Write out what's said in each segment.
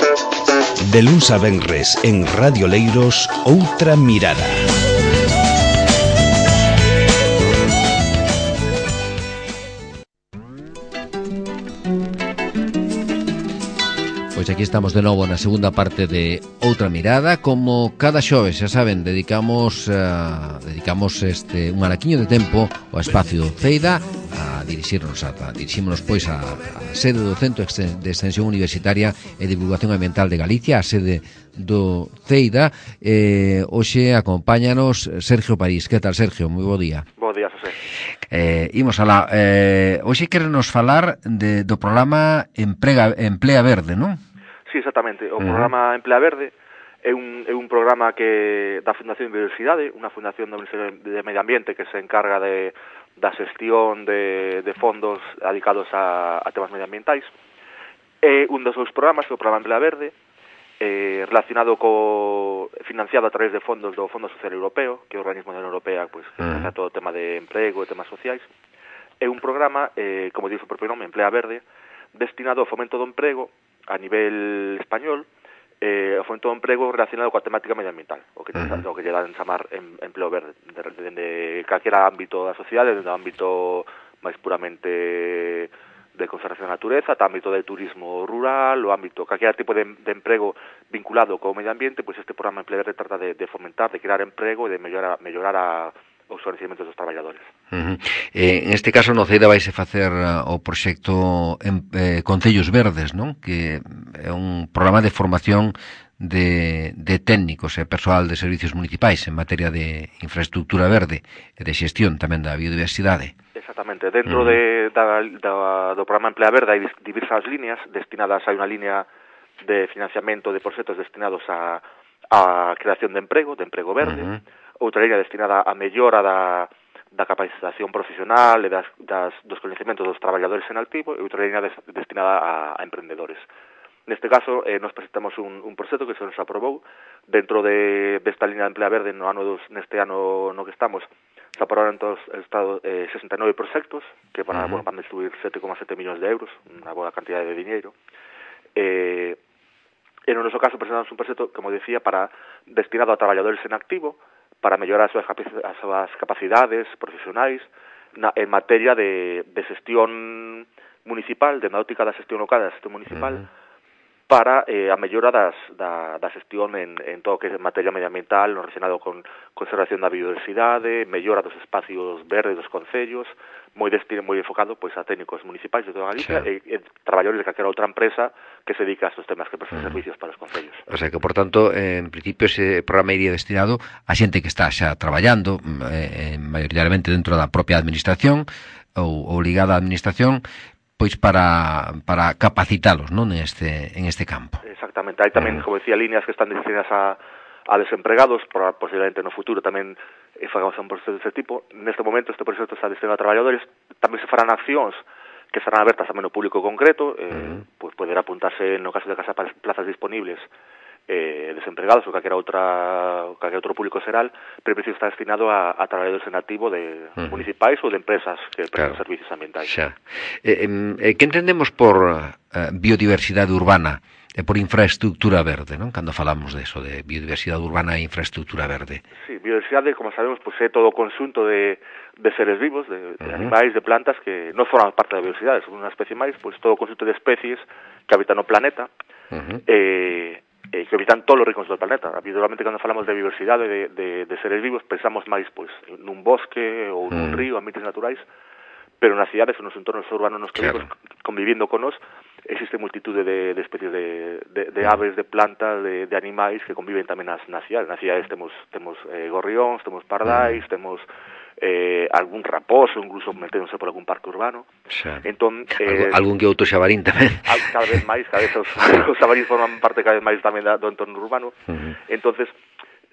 De luns a venres en Radio Leiros, Outra Mirada. Pois aquí estamos de novo na segunda parte de Outra Mirada. Como cada xoves, xa saben, dedicamos un araquiño de tempo ao espacio Ceida dirixímonos pois a sede do Centro de Extensión Universitaria e Divulgación Ambiental de Galicia, a sede do Ceida. Hoxe acompáñanos Sergio París. Que tal, Sergio? Moi bo día. Bo día, José. Imos alá. Hoxe querenos falar do programa Emplea Verde, non? Sí, exactamente. O programa Emplea Verde é un programa que da Fundación Biodiversidade, unha fundación do Ministerio de Medio Ambiente que se encarga da xestión de fondos dedicados a temas medioambientais. É un dos seus programas, o programa Emplea Verde, relacionado financiado a través de fondos do Fondo Social Europeo, que é o organismo da Unión Europea, pois, que trata todo o tema de emprego e temas sociais. É un programa, como dice o propio nome, Emplea Verde, destinado ao fomento do emprego a nivel español, o fomento do emprego relacionado coa temática medioambiental, o que lle dan chamar empleo verde, dende calquera ámbito da sociedade, dende o ámbito máis puramente de conservación da natureza, ata ámbito de turismo rural, o ámbito, calquera tipo de emprego vinculado co medio ambiente, pois este programa Empleo Verde trata de fomentar, de crear emprego e de mellorar os conhecimentos dos traballadores. En este caso no Ceida vaise facer o proxecto Concellos Verdes, non? Que é un programa de formación de técnicos e persoal de servicios municipais en materia de infraestructura verde e de xestión tamén da biodiversidade. Exactamente. Dentro do programa Emplea Verde hai diversas líneas destinadas, hai unha línea de financiamento de proxectos destinados a creación de emprego verde, outra línea destinada a mellora da capacitación profesional e dos coñecementos dos traballadores en activo, e outra línea destinada a emprendedores. Neste caso, nos presentamos un proxecto que se nos aprobou dentro desta línea de Emplea Verde neste ano no que estamos. Se aprobaron en todo o Estado 69 proxectos que van a distribuir 7,7 millóns de euros, unha boa cantidade de diñeiro. En o noso caso presentamos un proxecto, como decía, destinado a traballadores en activo, para mellorar as súas capacidades profesionais en materia de xestión municipal, de náutica da xestión local, da xestión municipal, para a mellora da xestión en todo o que é materia medioambiental, no relacionado con conservación da biodiversidade, mellora dos espacios verdes dos concellos, moi enfocado pois a técnicos municipais de toda Galicia e traballadores de calquera outra empresa que se dedica a estes temas, que prestan servicios para os concellos. O sea que, por tanto, en principio ese programa iría destinado a xente que está xa traballando maioritariamente dentro da propia administración ou ligada á administración, pois para capacitalos, non, en este campo. Exactamente. Hai tamén, como decía, líneas que están destinadas a desempregados, posiblemente no futuro tamén fagamos un proceso deste tipo. Neste momento este proceso está destinado a traballadores, tamén se farán accións que serán abertas tamén ao público concreto, pois poder apuntarse no caso de que haya plazas disponibles desempregados ou calquer outro público xeral, pero en principio está destinado a traballadores en activo de municipais ou de empresas que prestan servicios ambientais. Que entendemos por biodiversidade urbana e por infraestructura verde, non? Cando falamos de eso, de biodiversidade urbana e infraestructura verde. Sí, biodiversidade, como sabemos, pues, é todo o conxunto de seres vivos, de animais, de plantas que non forman parte da biodiversidade, son unha especie máis, pues, todo o conxunto de especies que habitan o planeta, que habitan todos os rincones do planeta. Habitualmente, cando falamos de biodiversidade de seres vivos, pensamos máis pois nun bosque ou nun río, ambientes naturais, pero nas cidades ou nos entornos urbanos nos que vivimos, convivindo con nos, existe multitude de especies de aves, de plantas, de animais que conviven tamén nas cidades. Nas cidades temos gorrións, temos pardais, temos algún raposo, incluso meténdose por algún parque urbano. Entón, algún que outro xabarín tamén. Cada vez os xabarín forman parte cada vez máis tamén do entorno urbano. Entonces,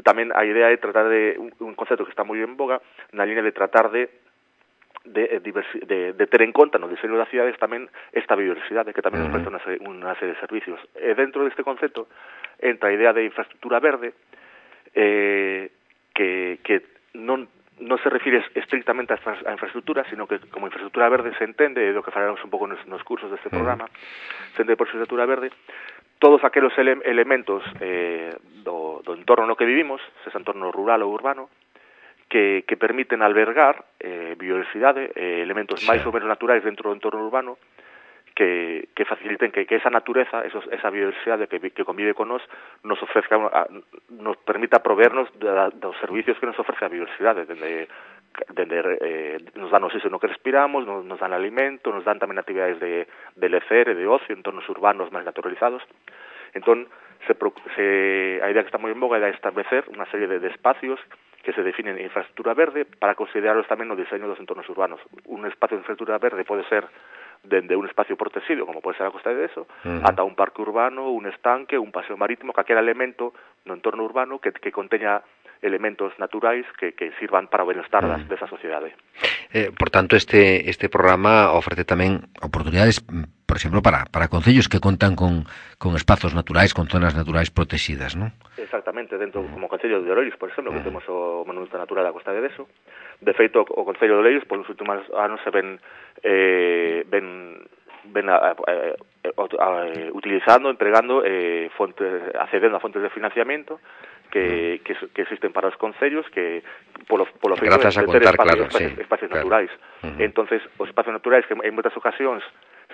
tamén a idea é tratar de un concepto que está moi en boga na línea de tratar de ter en conta no diseño das cidades tamén esta biodiversidade que tamén nos presta unha serie de servicios. E dentro deste concepto entra a idea de infraestructura verde que non se refire estrictamente a infraestructura, sino que como infraestructura verde se entende, é do que falaremos un pouco nos cursos deste programa, se entende por infraestructura verde todos aqueles elementos do entorno no que vivimos, ese entorno rural ou urbano, que permiten albergar biodiversidade, elementos máis ou menos naturais dentro do entorno urbano, que faciliten que esa natureza, esa biodiversidade que convive con nos ofrezca, nos permita proveernos dos servicios que nos ofrece a biodiversidade, nos dan oxígeno que respiramos, nos dan alimento, nos dan tamén actividades de lecer e de ocio, entornos urbanos máis naturalizados. Entón, a idea que está moi en boga é establecer unha serie de espacios que se definen en infraestructura verde para considerarlos tamén no diseño dos entornos urbanos. Un espacio de infraestructura verde pode ser dende un espacio protegido, como pode ser a Costa de Deso, ata un parque urbano, un estanque, un paseo marítimo, calquera elemento no entorno urbano que conteña elementos naturais que sirvan para o benestar desa sociedade. Por tanto, este programa ofrece tamén oportunidades, por exemplo, para concellos que contan con espazos naturais, con zonas naturais protegidas, non? Exactamente, dentro, como o Concello de Oleiros, por exemplo, que temos o Monumento Natural da Costa de Deso. De feito, o Concello de Oleiros, nos últimos anos se ven utilizando, empregando accedendo a fontes de financiamiento que existen para os concellos que polo feito de ter espacios naturais. Entonces, os espacios naturais que en moitas ocasións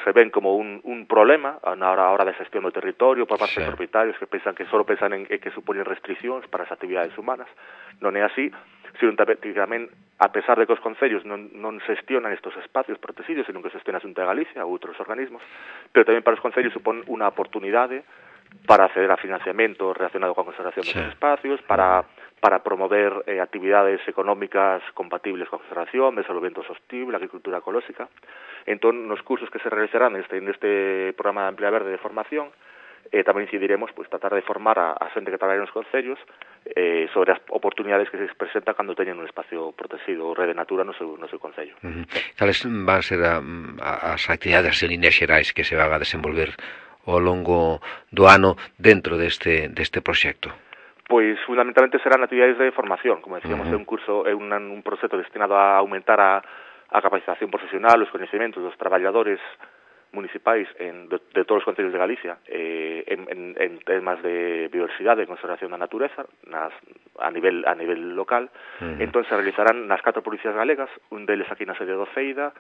se ven como un problema na hora da xestión do territorio por parte de propietarios que só pensan en que supoñen restriccións para as actividades humanas. Non é así, sino tamén, a pesar de que os concellos non xestionan estos espacios protegidos, sino que xestiona a Xunta de Galicia ou outros organismos, pero tamén para os concellos supón unha oportunidade para acceder a financiamento relacionado con a conservación destes espacios, para promover actividades económicas compatibles con a conservación, desenvolvemento sostible, agricultura ecolóxica. Entón, nos cursos que se realizarán neste programa de Emplea Verde de formación, tamén incidiremos tratar de formar a xente que traballa nos concellos sobre as oportunidades que se presentan cando teñen un espacio protegido ou rede natura no seu concello. Cales van ser as actividades en líneas xerais que se van a desenvolver ao longo do ano dentro deste proxecto? Pois fundamentalmente serán actividades de formación, como decíamos, é un curso, é un proxecto destinado a aumentar a capacitación profesional, os coñecementos dos traballadores municipais de todos os concellos de Galicia en temas de biodiversidade e conservación da natureza a nivel local. Entón se realizarán nas 4 provincias galegas, un deles aquí na sede do Ceida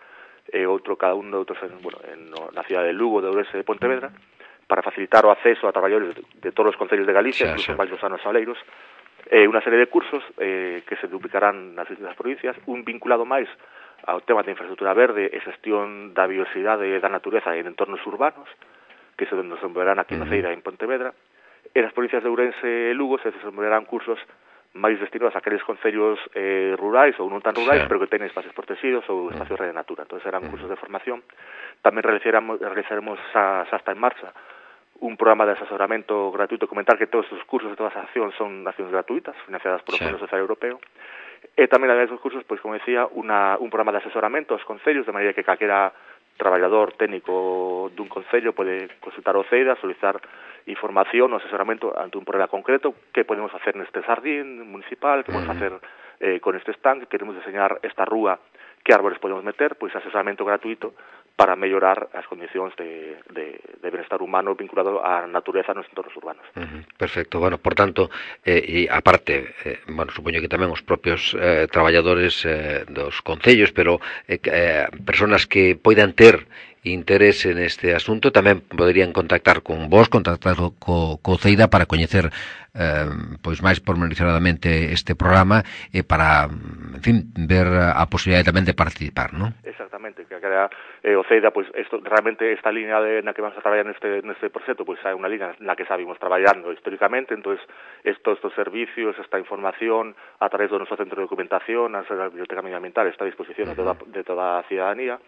e cada un de outros na cidade de Lugo, de Ourense e de Pontevedra, para facilitar o acceso a traballadores de todos os concellos de Galicia, incluso máis dos anos aleiros, unha serie de cursos que se duplicarán nas distintas provincias, un vinculado máis ao tema de infraestructura verde e xestión da biodiversidade e da natureza en entornos urbanos, que se desenvolverán aquí na Ceira en Pontevedra, e nas provincias de Ourense e Lugo se desenvolverán cursos máis destinados a aqueles concellos rurais ou non tan rurais, pero que teñen espacios protegidos ou espacios de natura. Entón serán cursos de formación. Tamén realizaremos xa está en marcha un programa de asesoramento gratuito, comentar que todos os cursos de todas as accións son accións gratuitas, financiadas por o Fondo Social Europeo. E tamén, ademais dos cursos, pois, como decía, un programa de asesoramento aos concellos, de maneira que calquera traballador técnico dun concello pode consultar o CEIDA, solicitar información ou asesoramento ante un problema concreto, que podemos facer neste xardín municipal, que podemos facer con este estanque, queremos diseñar esta rúa, que árbores podemos meter, pois asesoramento gratuito para mellorar as condicións de benestar humano vinculado á natureza nos entornos urbanos. Perfecto. Bueno, por tanto, e aparte, supoño que tamén os propios traballadores dos concellos, pero personas que poidan ter interese neste asunto tamén poderían contactar con vos, contactar co CEIDA para coñecer pois máis pormenorizadamente este programa e para, en fin, ver a posibilidade tamén de participar, non? Exactamente, que o CEIDA, pois, realmente esta línea na que vamos a traballar neste proxecto, pois hai unha línea na que sabimos traballando históricamente, entonces estos servicios, esta información a través do noso centro de documentación, a Biblioteca Medioambiental, está a disposición de toda a ciudadanía,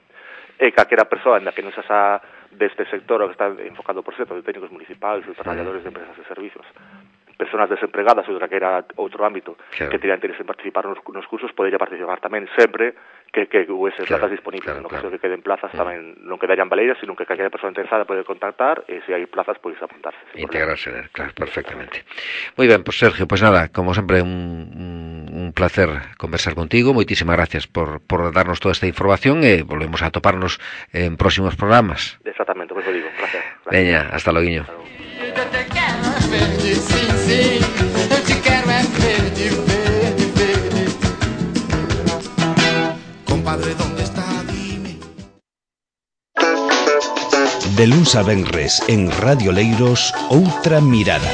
e calquera persoa na que non xa deste sector o que está enfocado por proxectos de técnicos municipais ou traballadores de empresas e servicios, personas desempregadas ou de calquera outro ámbito que terían interés en participar nos cursos, podería participar tamén sempre que huese plazas disponibles. No caso de que queden plazas tamén non quedarían baleiras, sino que calquera persoa interesada pode contactar e se hai plazas, pois apuntarse. Integrarse, claro, perfectamente. Moi ben, pois Sergio, pois nada, como sempre un placer conversar contigo, moitísimas gracias por darnos toda esta información e volvemos a toparnos en próximos programas. Exactamente, pois lo digo, gracias. Veña, hasta loguiño. verde, sim, sim. Eu te quero é verde, verde, verde. Compadre, ¿dónde está? Dime. De luns a venres en Radio Leiros, Outra Mirada.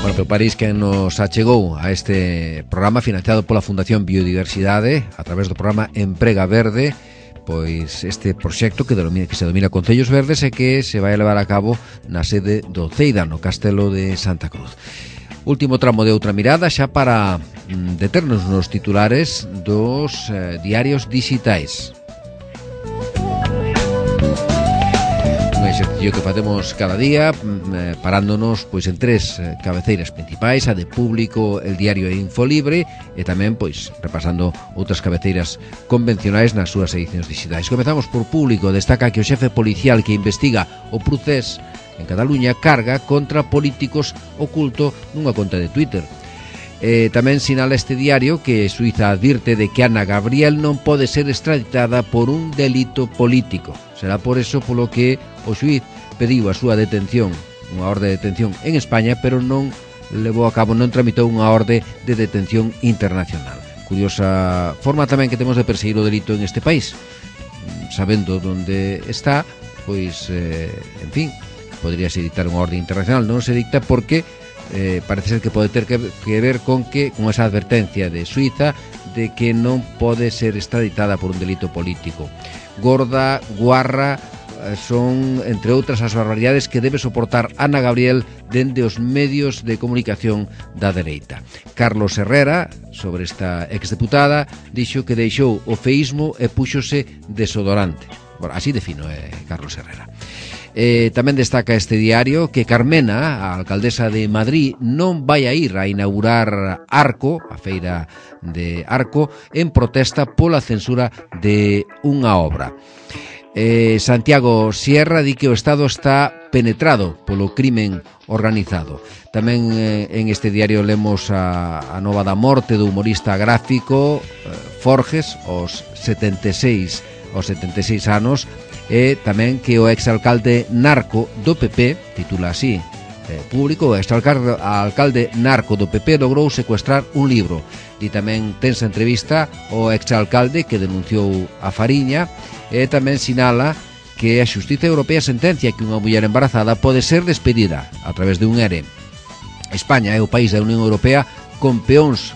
Bueno, pero París que nos achegou a este programa financiado pola Fundación Biodiversidade a través do programa Emprega Verde, pois este proxecto que se domina Concellos Verdes e que se vai a levar a cabo na sede do Ceida, no Castelo de Santa Cruz. Último tramo de Outra Mirada xa para deternos nos titulares dos diarios digitais. Un exercicio que facemos cada día parándonos pois en tres cabeceiras principais, a de Público, El Diario e Infolibre, e tamén pois repasando outras cabeceiras convencionais nas súas edicións digitais. Comezamos por Público. Destaca que o xefe policial que investiga o procés en Cataluña carga contra políticos oculto nunha conta de Twitter. Tamén sinala este diario que Suiza advirte de que Ana Gabriel non pode ser extraditada por un delito político. Será por eso polo que o xuíz pediu a súa detención, unha orde de detención en España, pero non levou a cabo, non tramitou unha orde de detención internacional. Curiosa forma tamén que temos de perseguir o delito en este país. Sabendo onde está, pois, en fin, podríase dictar unha orde internacional. Non se dicta porque parece ser que pode ter que ver con esa advertencia de Suiza de que non pode ser extraditada por un delito político. Gorda, guarra, son, entre outras, as barbaridades que debe soportar Ana Gabriel dende os medios de comunicación da dereita. Carlos Herrera, sobre esta exdeputada, dixo que deixou o feísmo e púxose desodorante. Bueno, así defino Carlos Herrera. Tamén destaca este diario que Carmena, a alcaldesa de Madrid, non vai a ir a inaugurar Arco, a feira de Arco, en protesta pola censura de unha obra. Santiago Sierra di que o Estado está penetrado polo crimen organizado. Tamén en este diario lemos a nova da morte do humorista gráfico Forges aos 76 anos, e tamén que o exalcalde narco do PP, titula así Público, o exalcalde narco do PP logrou secuestrar un libro. E tamén tensa entrevista o exalcalde que denunciou a Fariña, e tamén sinala que a Xustiza Europea sentencia que unha muller embarazada pode ser despedida a través de un ERE. España é o país da Unión Europea con peores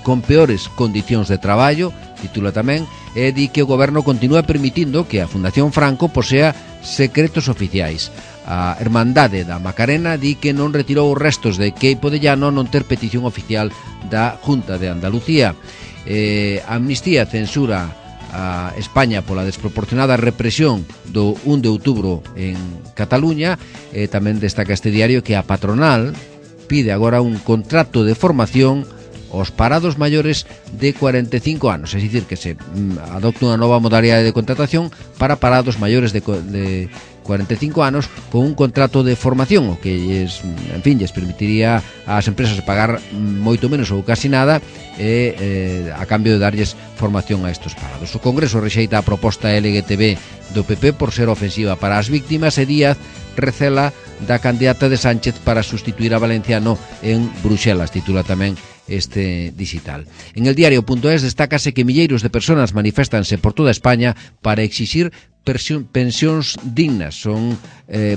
condicións de traballo, titula tamén, e di que o goberno continúa permitindo que a Fundación Franco posea secretos oficiais. A Hermandade da Macarena di que non retirou os restos de Queipo de Llano non ter petición oficial da Junta de Andalucía. Amnistía censura a España pola desproporcionada represión do 1 de outubro en Cataluña. Tamén destaca este diario que a patronal pide agora un contrato de formación aos parados maiores de 45 anos, é dicir, que se adopta unha nova modalidade de contratación para parados maiores de 45 anos con un contrato de formación, o que en fin, lles permitiría ás empresas pagar moito menos ou casi nada a cambio de darlles formación a estos parados. O Congreso rexeita a proposta LGTB do PP por ser ofensiva para as víctimas, e Díaz recela da candidata de Sánchez para sustituir a Valenciano en Bruxelas, titula tamén este digital. En el diario.es destácase que milleiros de personas maniféstanse por toda España para exixir pensións dignas. Son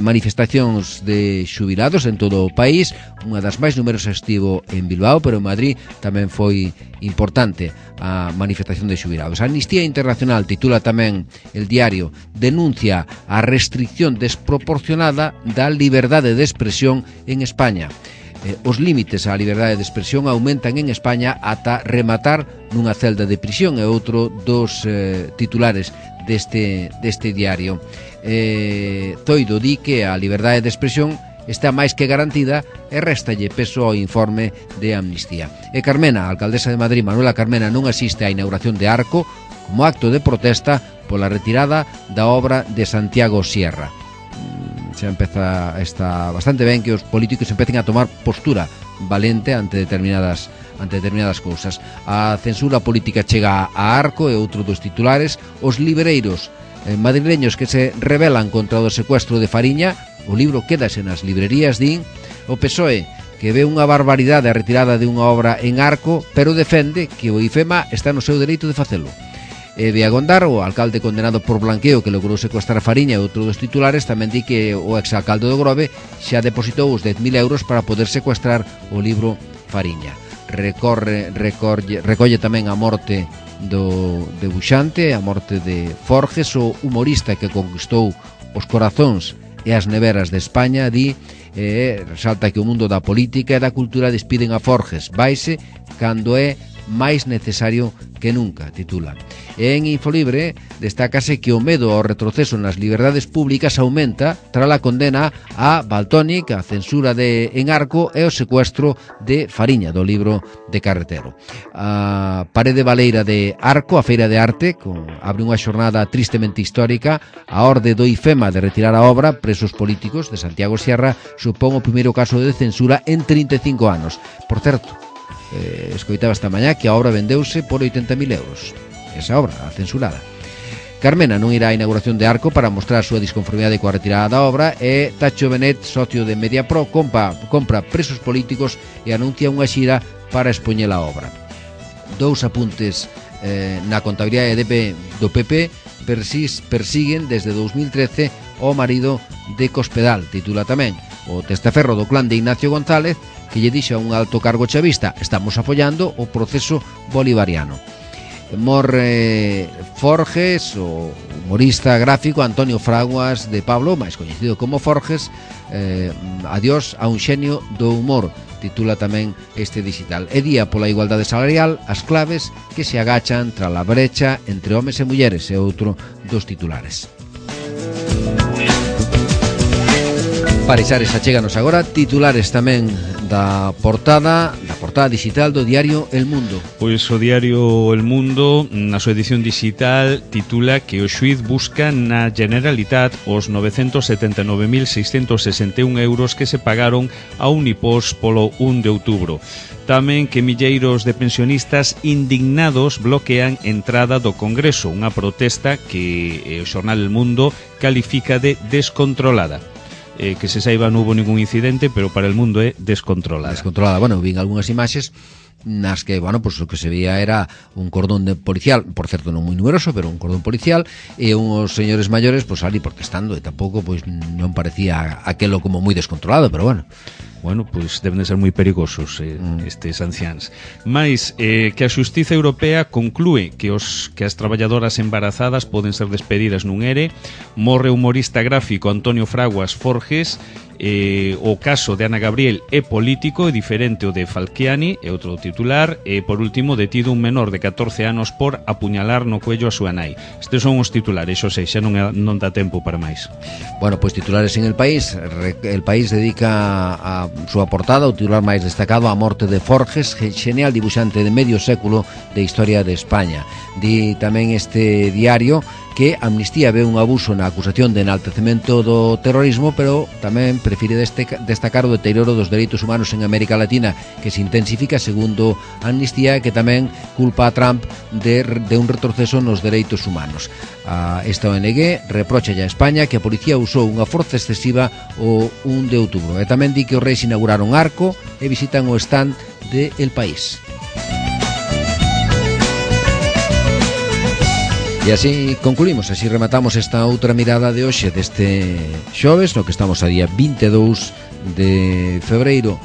manifestacións de xubilados en todo o país. Unha das máis numerosas estivo en Bilbao, pero en Madrid tamén foi importante a manifestación de xubilados. Amnistía Internacional, titula tamén el diario, denuncia a restricción desproporcionada da liberdade de expresión en España. Os límites á liberdade de expresión aumentan en España ata rematar nunha celda de prisión, é outro dos titulares deste diario. Zoido di que a liberdade de expresión está máis que garantida e réstalle peso ao informe de Amnistía. E Carmena, a alcaldesa de Madrid, Manuela Carmena, non asiste á inauguración de Arco como acto de protesta pola retirada da obra de Santiago Sierra. Está bastante ben que os políticos empecen a tomar postura valente ante determinadas ante determinadas cousas. A censura política chega a Arco e outro dos titulares. Os libreiros madrileños que se rebelan contra o secuestro de Fariña. O libro quédase nas librerías, din. O PSOE, que ve unha barbaridade a retirada de unha obra en Arco, pero defende que o IFEMA está no seu dereito de facelo. De Agondar, o alcalde condenado por blanqueo que logrou secuestrar Fariña e outro dos titulares, tamén di que o exalcalde do Grove xa depositou os 10.000 euros para poder secuestrar o libro Fariña. Recolle tamén a morte do debuxante, a morte de Forges, o humorista que conquistou os corazóns e as neveras de España, di, resalta que o mundo da política e da cultura despiden a Forges, vaise cando é máis necesario que nunca, titula. E en Infolibre destácase que o medo ao retroceso nas liberdades públicas aumenta tras a condena a Valtónic, a censura en Arco e o secuestro de Fariña, do libro de Carretero. A Parede Baleira de Arco, a Feira de Arte, abre unha xornada tristemente histórica. A orde do IFEMA de retirar a obra Presos Políticos de Santiago Sierra supón o primeiro caso de censura en 35 anos. Por certo, escoitaba esta mañá que a obra vendeuse por 80.000 euros. Esa obra, a censurada. Carmena non irá á inauguración de Arco para mostrar a súa disconformidade coa retirada da obra, e Tacho Benet, socio de Mediapro, compra Presos Políticos e anuncia unha xira para expoñer a obra. Dous apuntes na contabilidade do PP persiguen desde 2013 o marido de Cospedal, titula tamén. O testaferro do clan de Ignacio González, que lle dixo a un alto cargo chavista: estamos apoiando o proceso bolivariano. Morre Forges, o humorista gráfico Antonio Fraguas de Pablo, máis coñecido como Forges, adiós a un xenio do humor, titula tamén este digital. E día pola igualdade salarial, as claves que se agachan tras a brecha entre homes e mulleres, é outro dos titulares. Parexares, achéganos agora titulares tamén da portada digital do diario El Mundo. Pois o diario El Mundo, na súa edición digital, titula que o xuíz busca na Generalitat os 979.661 euros que se pagaron a Unipos polo 1 de outubro. Tamén que milleiros de pensionistas indignados bloquean entrada do Congreso, unha protesta que o xornal El Mundo califica de descontrolada. Que se saiba non hubo ningún incidente, pero para El Mundo é descontrolada. Bueno, vin algunhas imaxes nas que, pues o que se veía era un cordón policial, por certo non moi numeroso, pero un cordón policial, e uns señores maiores ali protestando, e tampouco non parecía aquelo como moi descontrolado, pero bueno, pois deben de ser moi perigosos estes anciáns. Mais que a Xustiza Europea conclúe que as traballadoras embarazadas poden ser despedidas nun ERE. Morre o humorista gráfico Antonio Fraguas Forges. O caso de Ana Gabriel é político e diferente o de Falciani, é outro titular. E por último, detido un menor de 14 anos por apuñalar no cuello a súa nai. Estes son os titulares, xa non dá tempo para máis. Pois titulares en El País. El País dedica a súa portada o titular máis destacado a morte de Forges, genial dibuixante de medio século de historia de España. Di tamén este diario que Amnistía ve un abuso na acusación de enaltecemento do terrorismo, pero tamén prefire destacar o deterioro dos dereitos humanos en América Latina, que se intensifica segundo Amnistía, que tamén culpa a Trump de un retroceso nos dereitos humanos. Esta ONG reprocha a España que a policía usou unha forza excesiva o 1 de outubro, e tamén di que os reis inauguraron Arco e visitan o stand de El País. E así concluímos, así rematamos esta outra mirada de hoxe deste xoves, no que estamos a día 22 de febreiro.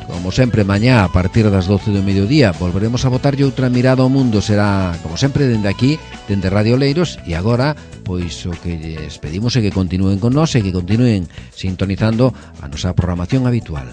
Como sempre, mañá a partir das 12 do mediodía volveremos a botarlle outra mirada ao mundo. Será, como sempre, dende aquí, dende Radio Oleiros. E agora, pois o que lles pedimos é que continúen con nós e que continúen sintonizando a nosa programación habitual.